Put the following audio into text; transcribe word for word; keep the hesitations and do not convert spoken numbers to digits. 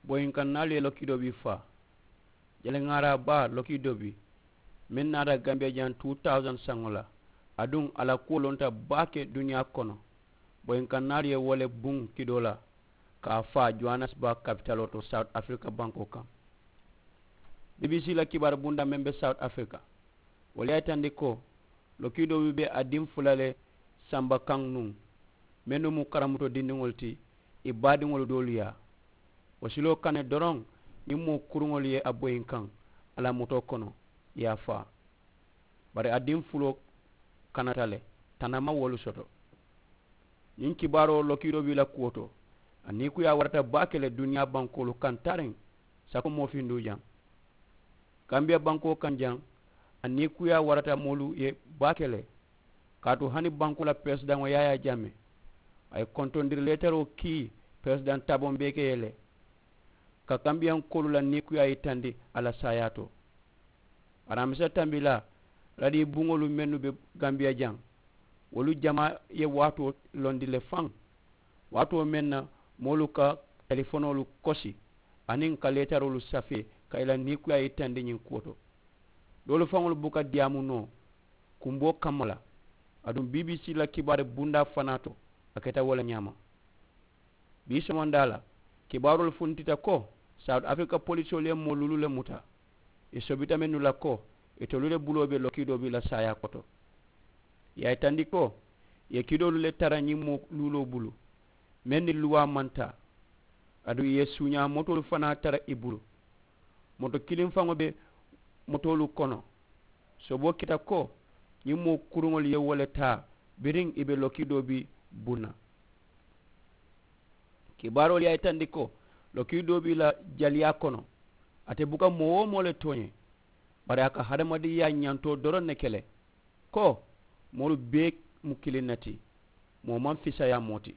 Boyinkaŋ naalu ye lokiidoo bii faa. Jaliŋaaraa baa lokiidoo bii meŋ naata gambiya jaŋ two thousand saŋo la, aduŋ a la kuwo lonta baake duniyaa kono. Boyinkaŋ naalu ye wo le buŋ kidoo la ka a faa johannesburg kapitaloo to south africa bankoo kaŋ. Bbc la kibaaru bundaa meŋ be south africa, wolu ye a yitandi ko lokiidoo bii be a diŋ fula le samba kaŋ nuŋ, mennu mu karamuto dindiŋolu ti, ì baadiŋolu doolu yaa. Wo siloo kaŋ ne doroŋ, ñiŋ moo kuruŋolu ye a boyinkaŋ a la motoo kono, ì ye a faa. Bari a diŋ fuloo kanata le, tana maŋ wolu soto. Ñiŋ kibaaroo lokiiroo be i la kuwo to. A niikuyaa warata baake le duniyaa bankoolu kaŋ tariŋ sako moo finduu jaŋ. Kambiya bankoo kaŋ jaŋ, a niikuyaa warata moolu ye baake le. Kaatu hani bankoo la peresidaŋo yaayaa jaame, a ye kontondiri leetaroo kii peresidaŋ taboŋ beeke ye le, ka kambiyankoolu la niikuyaa yitandi a la saayaa to. Aramisa tambilaa, radiyo buŋolu mennu be gambiya jaŋ, wolu jamaa ye waatoo londi le faŋ. Waatoo meŋ na moolu ka talifonoolu kosi aniŋ ka leetaroolu safee ka i la niikuyaa yitandi ñiŋ kuwo to. Doolu faŋolu buka diyaamu noo kumboo kamma la. Aduŋ bbc la kibaari bundaa fanaa to, a keta wo le ñaama. Bii somondaa la, kibaaroolu funtita ko south africa polisoolu ye moo luulu le muta. Ì sobita mennu la ko itolu le buloo be lokiidoo bii la saayaa koto. Ì ye a yitandi ko ì ye kidoolu le tara ñiŋ moo luuloo bulu, meŋ ni luwaa maŋ taa. Aduŋ ì ye suuñaa motoolu fanaa tara ì bulu. Moto kiliŋ faŋo be motoolu kono. Soboo keta ko ñiŋ moo kuruŋolu ye wo le taa biriŋ ì be lokiidoo bii buŋ na. Kibaaroolu ye a yitandi ko lokiidoo be i la jaliyaa kono. Ate buka moo-wo-moo le tooñe, bari a ka hadamadinyaa ñantoo doroŋ ne ke le, ko moolu bee mu kiliŋ ne ti. Moo maŋ fisayaa moo ti.